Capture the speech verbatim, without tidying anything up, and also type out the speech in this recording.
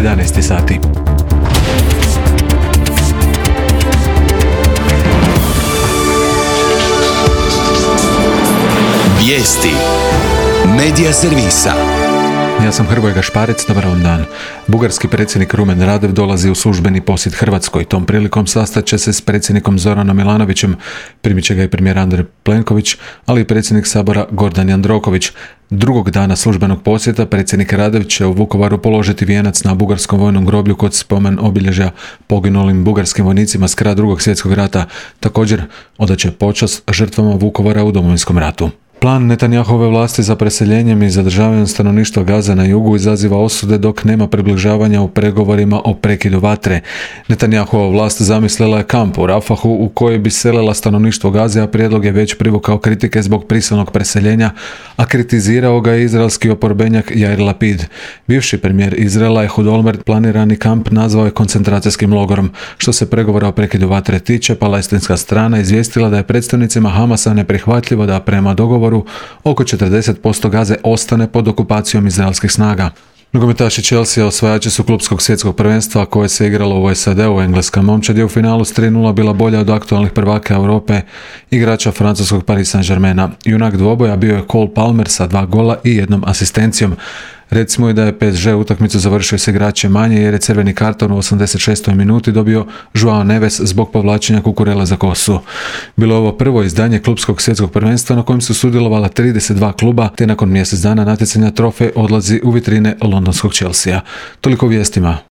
jedanaest sati. Vijesti Medija servisa. Ja sam Hrvoje Gašparec, dobar vam dan. Bugarski predsjednik Rumen Radev dolazi u službeni posjet Hrvatskoj. Tom prilikom sastat će se s predsjednikom Zoranom Milanovićem, primit će ga i premijer Andrej Plenković, ali i predsjednik Sabora Gordan Jandroković. Drugog dana službenog posjeta predsjednik Radev će u Vukovaru položiti vijenac na bugarskom vojnom groblju kod spomen obilježja poginulim bugarskim vojnicima s kraja Drugog svjetskog rata. Također odat će počast žrtvama Vukovara u Domovinskom ratu. Plan Netanjahove vlasti za preseljenjem i zadržavanjem stanovništva Gaze na jugu izaziva osude dok nema približavanja u pregovorima o prekidu vatre. Netanjahova vlast zamislila je kamp u Rafahu u koji bi selila stanovništvo Gaze, a prijedlog je već privukao kritike zbog prisilnog preseljenja, a kritizirao ga je izraelski oporbenjak Jair Lapid. Bivši premijer Izraela Ehud Olmert planirani kamp nazvao je koncentracijskim logorom. Što se pregovora o prekidu vatre tiče, palestinska strana izvijestila da je predstavnicima Hamasa neprihvatljivo da prema dogovoru oko četrdeset posto Gaze ostane pod okupacijom izraelskih snaga. Nogometaši Chelsea osvajači su klupskog svjetskog prvenstva koje se igralo u S A D-u. Engleska momčad je u finalu s tri nula bila bolja od aktualnih prvaka Europe, igrača francuskog Paris Saint-Germaina. Junak dvoboja bio je Cole Palmer sa dva gola i jednom asistencijom. Recimo i da je P S G utakmicu završio s igračem manje jer je crveni karton u osamdeset šestoj minuti dobio Joao Neves zbog povlačenja Kukurela za kosu. Bilo je ovo prvo izdanje klupskog svjetskog prvenstva na kojem su sudjelovala trideset dva kluba, te nakon mjesec dana natjecanja trofej odlazi u vitrine londonskog Chelsea. Toliko u vijestima.